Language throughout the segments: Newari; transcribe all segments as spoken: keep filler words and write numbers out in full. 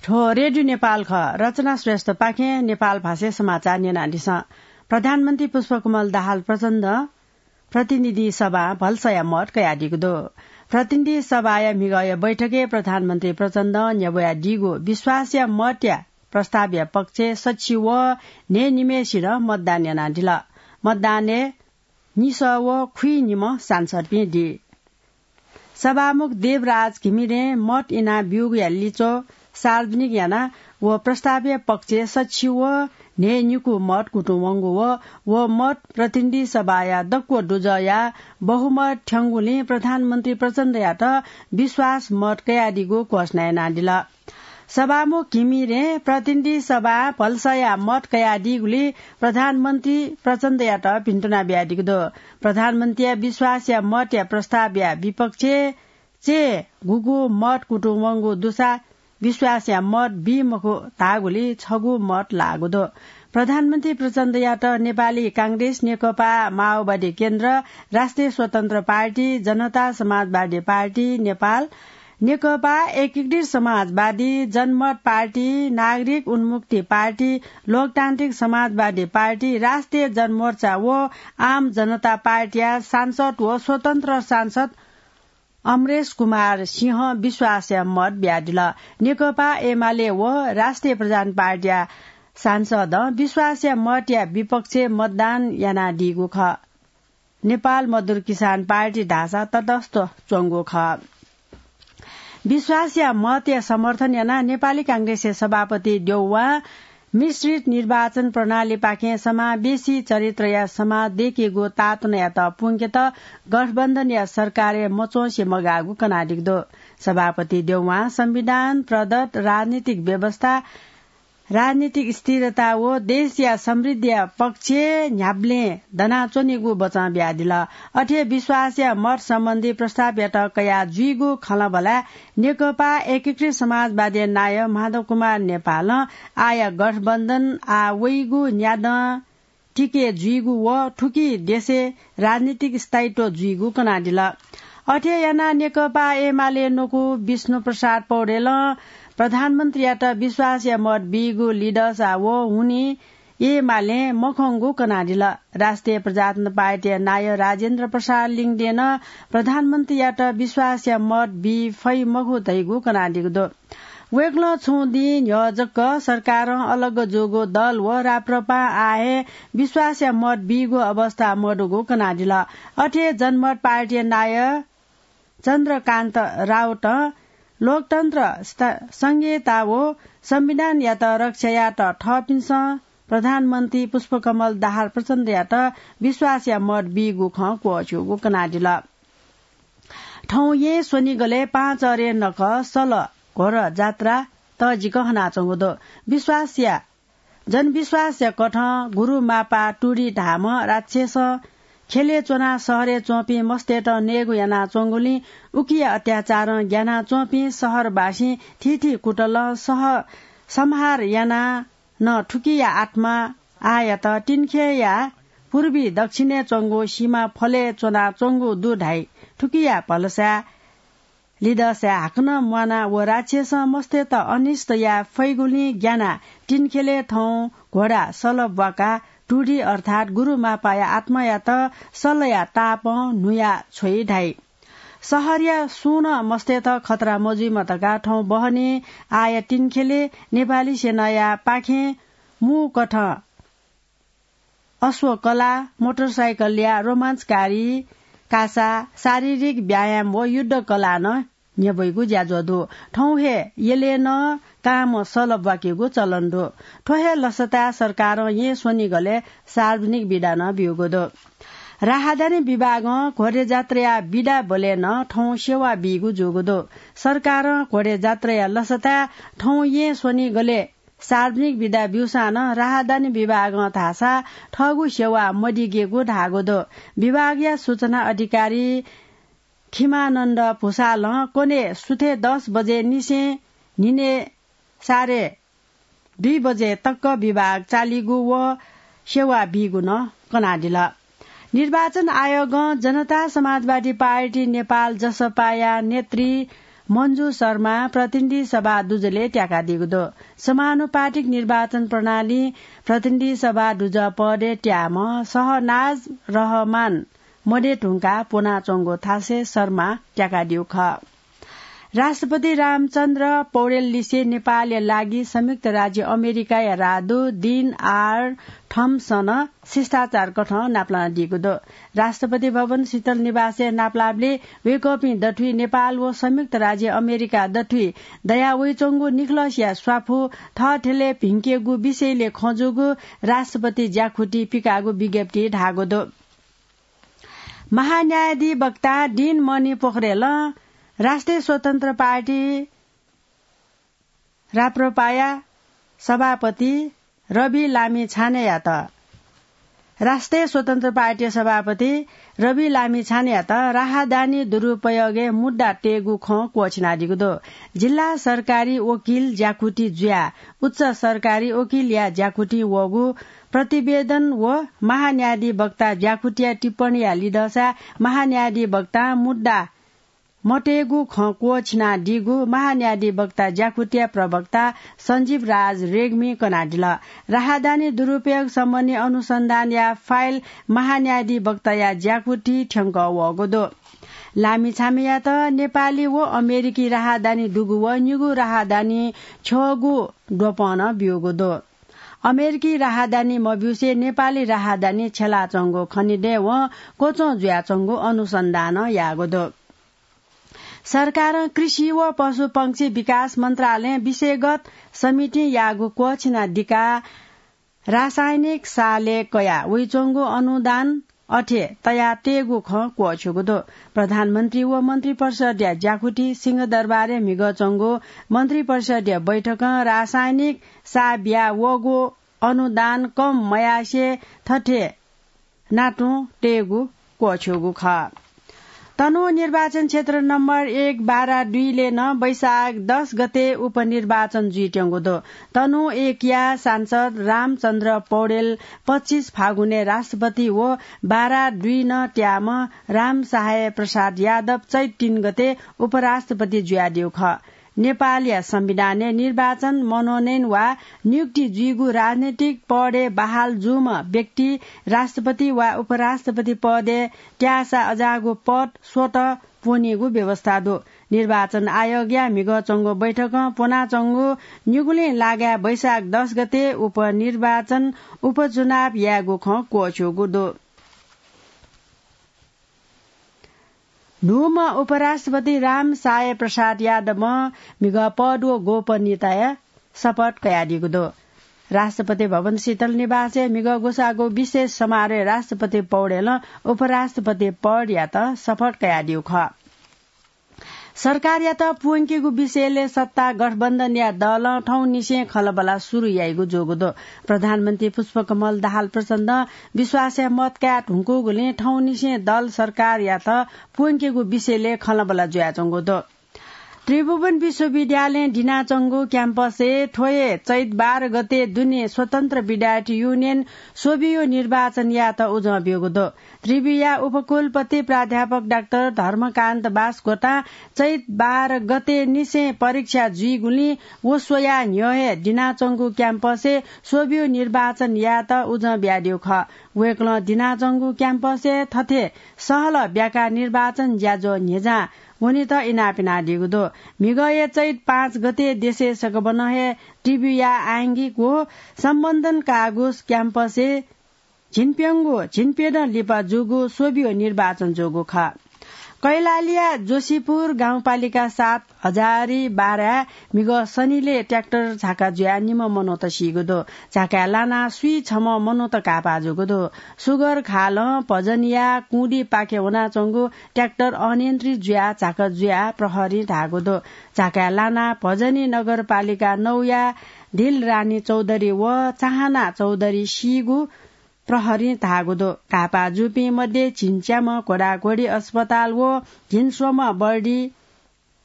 थ्व रेडियो नेपाल खः। रचना श्रेष्ठपाखें नेपाल भाषाय् समाचार न्यनादिसँ। प्रधानमन्त्री पुष्पकमल दाहाल प्रचण्डं प्रतिनिधि सभां भलसाया मत कयादीगु दु। प्रतिनिधि सभाया म्हिगःया बैठकय् प्रधानमन्त्री प्रचण्डं न्ह्यब्वयादीगु विश्वासया मतया प्रस्तावया पक्षय् सछि व न्हय्‌निम्हय्‌सिनं मतदान यानादिल। मतदानय् निसः व खुइनिम्ह सांसदपिं दी। सभामुख देवराज घिमिरें मत इनाब्यूगुया लिच्वः सार्वजनिक यानाः व प्रस्तावया पक्षय् सछि व न्हय्‌निकू मत कुतुं वंगु व व मत प्रतिनिधि सभाया दक्व दुजःया बहुमत थ्यंगुलिं प्रधानमन्त्री प्रचण्डयात विश्वास मत कयादीगु घोषणा यानादिल। सभामुख घिमिरें प्रतिनिधि सभां भलसाया मत कयादीगुलिं प्रधानमन्त्री प्रचण्डयात भिन्तुना बियादीगु दु। प्रधानमन्त्रीया विश्वासया मतया प्रस्तावया विपक्षय् चय्‌गुगु मत कुतुं वंगु दुसा विश्वासया मत बी मखु धाःगुलिं छगू मत लाःगु दु। प्रधानमन्त्री प्रचण्डयात नेपाली कांग्रेस, नेकपा माओवादी केन्द्र, राष्ट्रिय स्वतन्त्र पार्टी, जनता समाजवादी पार्टी नेपाल, नेकपा एकीकृत समाजवादी, जनमत पार्टी, नागरिक उन्मुक्ति पार्टी, लोकतान्त्रिक समाजवादी पार्टी, राष्ट्रिय जनमोर्चा व आम जनता पार्टीया सांसद व स्वतन्त्र सांसद अमरेश कुमार सिंहं विश्वासया मत बियादिल। नेकपा एमाले व राष्ट्रिय प्रजातन्त्र पार्टीया सांसदं विश्वासया मतया विपक्षय् मतदान यानादीगु खः। नेपाल मजदुर किसान पार्टी धाःसा तटस्थ च्वंगु खः। विश्वासया मतया समर्थन यानाः नेपाली कांग्रेसया सभापति देउवां मिश्रित निर्वाचन प्रणालीपाखें समावेशी चरित्रया समाज दय्‌केगु तातुनायात पुंकेत गठबन्धनया सरकारय् मच्वंसे मगाःगु कनादीगु दु। सभापति देउवां संविधान प्रदत्त राजनीतिक व्यवस्था, राजनीतिक स्थिरता व देशया समृद्धिया पक्षय् न्ह्याबलें दनाच्वनीगु बचं बियादिल। अथे विश्वासया मत सम्बन्धी प्रस्तावयात कयाः जुइगु खँल्हाबल्हाय् नेकपा एकीकृत समाजवादीया नायः माधव कुमार नेपालं आःया गठबन्धन आः वइगु न्यादँ तिके जुइगु व थुकी देशय् राजनीतिक स्थायित्व जुइगु कनादिल। अथे यानाः नेकपा एमाले न्वकू विष्णु प्रसाद पौडेलं प्रधानमन्त्रीयात विश्वासया मत बीगु लिदःसा व हुनिं एमालें मखंगु कनादिल। राष्ट्रिय प्रजातन्त्र पार्टीया नायः राजेन्द्र प्रसाद लिङदेनं प्रधानमन्त्रीयात विश्वासया मत बी फइ मखु धइगु कनादीगु दु। वय्‌कलं छुं दिं न्ह्यः जक सरकारं अलग जूगु दल व राप्रपां आः हे विश्वासया मत बीगु अवस्था मदुगु कनादिल। अथे जनमत पार्टीया नायः चन्द्रकान्त राउतं लोकतन्त्र स्थ-, संहिता व संविधानयात रक्षा यायेत थःपिन्सं प्रधानमन्त्री पुष्पकमल दाहाल प्रचण्डयात विश्वासया मत बीगु खँ क्वःछ्यूगु कनादिल। थौं येँ स्वनिगलय् पाँचरे नखः सल घोडा जात्रा तःजिक हनाच्वंगु दु। विश्वासया, जनविश्वासया कथं गुरुमापा टुरी धाःम्ह राक्षसं ख्यलय् च्वनाः शहरय् च्वंपिं मस्तय्त नयेगु यानाच्वंगुलिं उकिया अत्याचारं ग्यानाच्वंपिं शहरवासीं थीथी कुतलं सह-, संहार यानाः नं थुकिया आत्मा आःयात तिनखेया पूर्वी दक्षिणय् च्वंगु सीमा फलय् च्वनाच्वंगु दु धाइ। थुकिया भलसाय् लिदःसाय् हाकनं म्वाना व राक्षसं मस्तय्त अनिष्ट याये फइगुलिं ग्यानाः तिनखेलय् थौं घोडा सल ब्वाकाः टुरी अर्थात् गुरुमापाया आत्मायात सलया तापं न्हुया छ्वइ धाइ। शहरया सुं नं मस्तय्त खतरा मजुइमा धकाः थौं बहनी आःया तिनखेलय् नेपाली सेनाया पाखें मू कथं अश्वकला, मोटरसाइकलया रोमाञ्चकारी कासा, शारीरिक व्यायाम व युद्ध कला नं न्ह्यब्वइगु ज्याझ्वः दु। थौं हे यलय् नं कांम्ह सल ब्वाकेगु चलन दु। थ्व हे लसताय् सरकारं येँ स्वनिगलय् सार्वजनिक बिदा नं ब्यूगु दु। राहदानी विभागं घोडे जात्राया बिदा बलय् नं थौं सेवा बीगु जूगु दु। सरकारं घोडे जात्राया लसताय् थौं येँ स्वनिगलय् सार्वजनिक बिदा ब्यूसां नं राहदानी विभागं धाःसा थःगु सेवा मदिगेगु धाःगु दु। विभागया सूचना अधिकारी खिमानन्द भुसालं क्वने सुथय् दस बजे निसें न्हिनय् साढे दुई बजे तक विभाग चालीगु व सेवा बीगु नं कनादिल। निर्वाचन आयोगं जनता समाजवादी पार्टी नेपाल, जसपाया नेतृ मन्जु शर्मा प्रतिनिधि सभा दुजलय् त्याकादीगु दु। समानुपातिक निर्वाचन प्रणाली प्रतिनिधि सभा दुजः पदय् त्याःम्ह शहनाज रहमान मदये धुंकाः प्वनाच्वंगु थासय् शर्मा त्याकादीगु खः। राष्ट्रपति रामचन्द्र पौडेल लिसे नेपालया लागि संयुक्त राज्य अमेरिकाया राजदूत डिन आर थम्पसनं शिष्टाचार कथं नापलानादीगु दु। राष्ट्रपति भवन शीतल निवासय् नापलाःबलय् वय्कःपिं दथुइ नेपाल व संयुक्त राज्य अमेरिका दथुइ दयावइच्वंगु निखलसया स्वापू थःथेलय् भिंकेगु विषयलय् खँ जूगु राष्ट्रपति ज्याखुति पिकाःगु विज्ञप्तिइ धाःगु दु। महान्यायाधिवक्ता डिन मणि पोखरेलं राष्ट्रिय स्वतन्त्र पार्टी राप्रपाया सभापति रवि लामिछानेयात, राष्ट्रिय स्वतन्त्र पार्टी सभापति रवि लामिछानेयात राहदानी दुरुपयोगय् मुद्दा तयेगु खँ क्वःछिनादीगु दु। जिल्ला सरकारी वकिल ज्याखुति जुयाः उच्च सरकारी वकिलया ज्याखुतिं वःगु प्रतिवेदन व महान्यायाधिवक्ता ज्याखुतिया टिप्पणीया लिधंसा महान्यायाधिवक्तां मुद्दा मतयेगु खँ क्वःछिनादीगु महान्यायाधिवक्ता ज्याखुतिया प्रवक्ता सञ्जीव राज रेग्मीं कनादिल। राहदानी दुरुपयोग सम्बन्धी अनुसन्धानया फाइल महान्यायाधिवक्ताया ज्याखुतिइ थ्यंकः वःगु दु। लामिछानेयात नेपाली व अमेरिकी राहदानी दुगु व निगू राहदानी छ्यःगु द्वपं नं ब्यूगु दु। अमेरिकी राहदानी मब्यूसे नेपाली राहदानी छ्यलाच्वंगु खनेदये वं क्वच्वं जुयाच्वंगु अनुसन्धानं याःगु दु। सरकारं कृषि व पशुपंक्षी विकास मन्त्रालयं विषयगत समितिं याःगु क्वःछिनादिका रासायनिक सालय् कया वइच्वंगु अनुदान अथे तयातयेगु खँ क्वःछ्यूगु दु। प्रधानमन्त्री व मन्त्रिपरिषदया ज्याखुति सिंहदरबारय् म्हिगः च्वंगु मन्त्रिपरिषदया बैठकं रासायनिक सा बिया वःगु अनुदान कम मयासें थथे नातुं तयेगु क्वःछ्यूगु खः। तनहुँ निर्वाचन क्षेत्र नम्बर एक बारा दुईलय् नं वैशाख दस गते उपनिर्वाचन जुइत्यंगु दु। तनहुँ एकया सांसद रामचन्द्र पौडेल पच्चिस फागुनय् राष्ट्रपति व बारा दुई नं त्याःम्ह रामसहाय प्रसाद यादव चैत तीन गते उपराष्ट्रपति जुयादीगु खः। नेपालया संविधानय् निर्वाचन, मनोनयन वा नियुक्ति जुइगु राजनैतिक पदय् बहाल जूम्ह व्यक्ति राष्ट्रपति वा उपराष्ट्रपति पदय् त्याःसा अज्याःगु पद स्वतः प्वनीगु व्यवस्था दु। निर्वाचन आयोगया म्हिगः च्वंगु बैठकं प्वनाच्वंगु निगुलिं लागाय् वैशाख दस गते उपनिर्वाचन, उपचुनाव यायेगु खँ क्वःछ्यूगु दु। न्हूम्ह उपराष्ट्रपति रामसहाय प्रसाद यादवं म्हिगः पद व गोपनीयताया शपथ कयादीगु दु। राष्ट्रपति भवन शीतल निवासय् म्हिगः ग्वसाःगु विशेष समारोहय् राष्ट्रपति पौडेलं उपराष्ट्रपति पदयात शपथ कयादीगु खः। सरकारयात प्वंकेगु विषयलय् सत्ता गठबन्धनया दलं थौंनिसें खँल्हाबल्हा सुरु याइगु जूगु दु। प्रधानमन्त्री पुष्पकमल दाहाल प्रचण्डं विश्वासया मत काये धुंकूगुलिं थौंनिसें दल सरकारयात प्वंकेगु विषयलय् खँल्हाबल्हा जुयाच्वंगु दु। त्रिभुवन विश्वविद्यालयं दिनाच्वंगु क्याम्पसय् थ्व हे चैत बाह्र गते दुने स्वतन्त्र विद्यार्थी युनियन स्वबियु निर्वाचन यायेत उजं ब्यूगु दु। त्रिविया उपकुलपति प्राध्यापक डाक्टर धर्मकान्त बासकोटां चैत बाह्र गते निसें परीक्षा जुइगुलिं व स्वयाः न्ह्यः हे दिनाच्वंगु क्याम्पसय् स्वबियु निर्वाचन यायेत उजं बियादीगु खः। वय्कलं दिनाच्वंगु क्याम्पसय् थथे सहलह ब्याका निर्वाचन ज्याझ्वः न्ह्यज्यां वनेत इनाप यानादीगु दु। म्हिगःया चैत पाँच गते देशय् सकभनं हे त्रिविया आंगिक व सम्बन्धन कागुस क्याम्पसय् झिंप्यंगु, झिंप्यदँ लिपा जूगु स्वबियु निर्वाचन जूगु खः। कैलालीया जोशीपुर गाउँपालिका सात हजारी बाराय् म्हिगः शनिलय् ट्र्याक्टर झाका जुयाः निम्ह मनूत सीगु दु। झाकाय् लानाः स्वीछम्ह मनूत घाःपाः जूगु दु। सुगर घालं भजनीया कुँदिपाखे वनाच्वंगु ट्र्याक्टर अनियन्त्रित जुयाः झाका जुयाः प्रहरीं धाःगु दु। झाकाय् लानाः भजनी नगरपालिका नौया दिलरानी चौधरी व चाहना चौधरी सीगु प्रहरीं धाःगु दु। घाःपाः जूपिं मध्ये झिंच्याम्ह घोडाघोडी अस्पताल व झिंस्वम्ह बर्डी,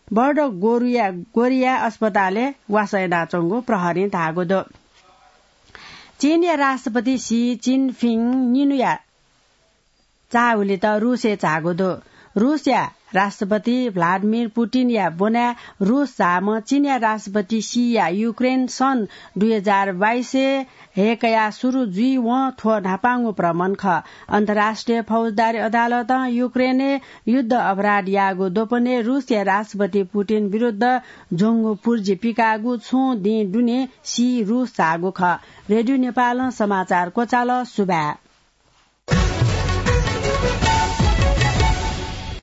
बर्ड गोरुया, गोरिया अस्पतालय् वासः यानाच्वंगु प्रहरीं धाःगु दु। चीनया राष्ट्रपति सी जिनपिङ निन्हुया चाःहुलित रूसय् झाःगु दु। रूसया राष्ट्रपति भ्लादिमिर पुटिनया ब्वनाय् रूस झाःम्ह चीनया राष्ट्रपति शीया युक्रेन सन् दुई हजार बाइसय् हय्‌कयाः सुरु जुइवं थ्व न्हापांगु भ्रमण खः। अन्तर्राष्ट्रिय फौजदारी अदालतं युक्रेनय् युद्ध अपराध याःगु द्वपनय् रूसया राष्ट्रपति पुटिन विरुद्ध ज्वंगु पुर्जी पिकाःगु छुं दिं दुने शी रूस झाःगु खः। रेडियो नेपालं समाचार क्वचाल। सुभाय्।